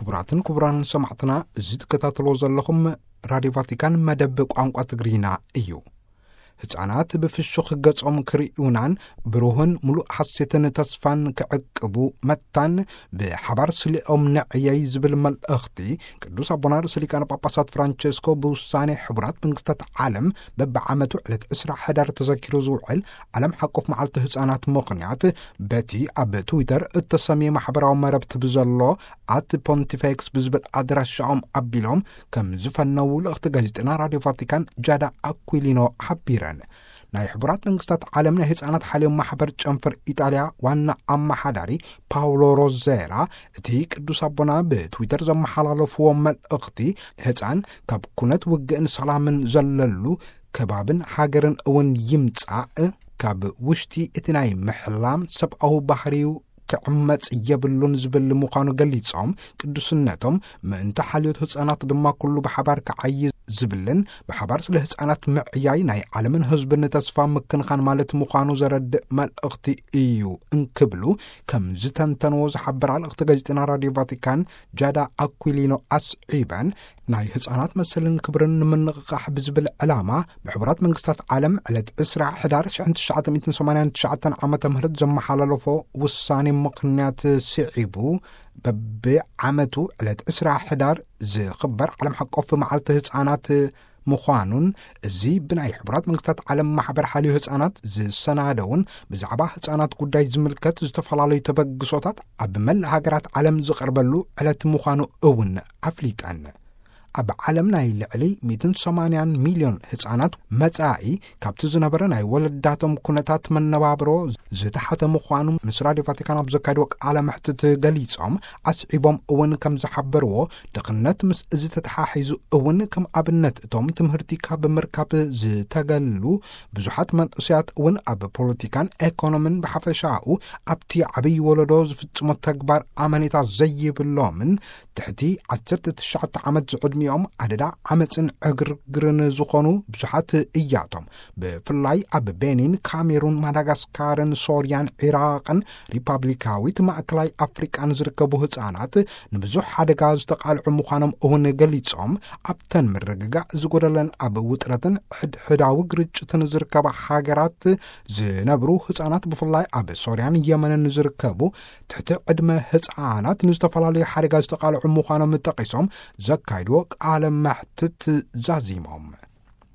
ክቡራትን ክቡራን ሰማዕትና፣ እዚ ትከታተልዎ ዘለኹም ራድዮ ቫቲካን መደብ ቋንቋ ትግርኛ እዩ። ህፃናት ብፍሹኽ ገጾም ክርእዩናን ብሩህን ምሉእ ሓሴትን ተስፋን ክዕቅቡ መታን ብሓባር ስሊኦም ንዕየይ ዝብል መልእኽቲ ቅዱስ ኣቦና ርእሰ ሊቃነ ጳጳሳት ፍራንቸስኮ ብውሳኔ ሕቡራት መንግስታት ዓለም በብዓመቱ ዕለት ዕስራ ሕዳር ተዘኪሩ ዝውዕል ዓለም ሓቆፍ መዓልቲ ህፃናት ምኽንያት በቲ ኣብ ትዊተር እተሰምየ ማሕበራዊ መረብቲ ብዘሎ ኣት ፖንቲፌክስ ብዝብል ኣድራሻኦም ኣቢሎም ከም ዝፈነዉ ልእኽቲ ጋዜጠና ራድዮ ቫቲካን ጃዳ ኣኩሊኖ ሓቢረን። ናይ ሕቡራት መንግስታት ዓለም ናይ ህፃናት ሓልዮም ማሕበር ጨንፈር ኢጣልያ ዋና ኣመሓዳሪ ፓውሎ ሮዜራ፣ እቲ ቅዱስ ኣቦና ብትዊተር ዘመሓላለፍዎ መልእኽቲ፣ ህፃን ካብ ኩነት ውግእን ሰላምን ዘለሉ ከባብን ሃገርን እውን ይምጻእ፣ ካብ ውሽጢ እቲ ናይ ምሕላም ሰብኣዊ ባህርዩ ክዕመጽ የብሉን ዝብል ምዃኑ ገሊጾም፣ ቅዱስነቶም ምእንቲ ሓልዮት ህጻናት ድማ ኩሉ ብሓባር ክዓዪ ዝብልን ብሓባር ስለ ህጻናት ምዕያይ ናይ ዓለምን ህዝብን ተስፋ ምክንኻን ማለት ምዃኑ ዘረድእ መልእኽቲ እዩ እንክብሉ ከም ዝተንተንዎ ዝሓበራ ልእኽቲ ጋዜጠና ራድዮ ቫቲካን ጃዳ ኣኩሊኖ ኣስዒበን፣ ናይ ህጻናት መሰልን ክብርን ንምንቕቓሕ ብዝብል ዕላማ ብሕቡራት መንግስታት ዓለም ዕለት ዕስራ ሕዳር ሽሕን ትሽዓተ ሚእትን ሰማንያን ትሽዓተን ዓመተ ምህረት ዘመሓላለፎ ውሳኔ ምኽንያት ስዒቡ፣ በብዓመቱ ዕለት ዕስራ ሕዳር ዝኽበር ዓለም ሓቆፍ መዓልቲ ህጻናት ምዃኑን፣ እዚ ብናይ ሕቡራት መንግስታት ዓለም ማሕበር ሓልዮ ህጻናት ዝሰናደውን ብዛዕባ ህጻናት ጉዳይ ዝምልከት ዝተፈላለዩ ተበግሶታት ኣብ መላእ ሃገራት ዓለም ዝቐርበሉ ዕለት ምዃኑ እውን ኣፍሊጠን። ኣብ ዓለም ናይ ልዕሊ ሚእትን ሰማንያን ሚልዮን ህጻናት መጻኢ ካብቲ ዝነበረ ናይ ወለዳቶም ኩነታት መነባብሮ ዝተሓተ ምዃኑ ምስ ራድዮ ቫቲካን ኣብ ዘካየድዎ ቃለ መሕትት ገሊጾም፣ ኣስዒቦም እውን ከም ዝሓበርዎ፣ ድኽነት ምስ እዚ ተተሓሒዙ እውን ከም ኣብነት እቶም ትምህርቲ ካብ ምርካብ ዝተገሉ ብዙሓት መንእሰያት እውን ኣብ ፖለቲካን ኤኮኖምን ብሓፈሻኡ ኣብቲ ዓብዪ ወለዶ ዝፍጽሞ ተግባር ኣመኔታ ዘይብሎምን ትሕቲ ዓሰርተ ትሽዓተ ዓመት ዝዕድሚኦም ኣደዳ ዓመፅን ዕግርግርን ዝኾኑ ብዙሓት እያቶም። ብፍላይ ኣብ ቤኒን፣ ካሜሩን፣ ማዳጋስካርን ሶርያን፣ ዒራቕን ሪፓብሊካዊት ማእከላይ ኣፍሪቃን ዝርከቡ ህፃናት ንብዙሕ ሓደጋ ዝተቓልዑ ምዃኖም እውን ገሊጾም፣ ኣብተን ምርግጋእ ዝጎደለን ኣብ ውጥረትን ሕድሕዳዊ ግርጭትን ዝርከባ ሃገራት ዝነብሩ ህፃናት፣ ብፍላይ ኣብ ሶርያን የመንን ዝርከቡ ትሕቲ ዕድመ ህፃናት ንዝተፈላለዩ ሓደጋ ዝተቓልዑ ምዃኖም ጠቒሶም፣ ዘካይድዎ ቃለ መሕትት ዛዚሞም።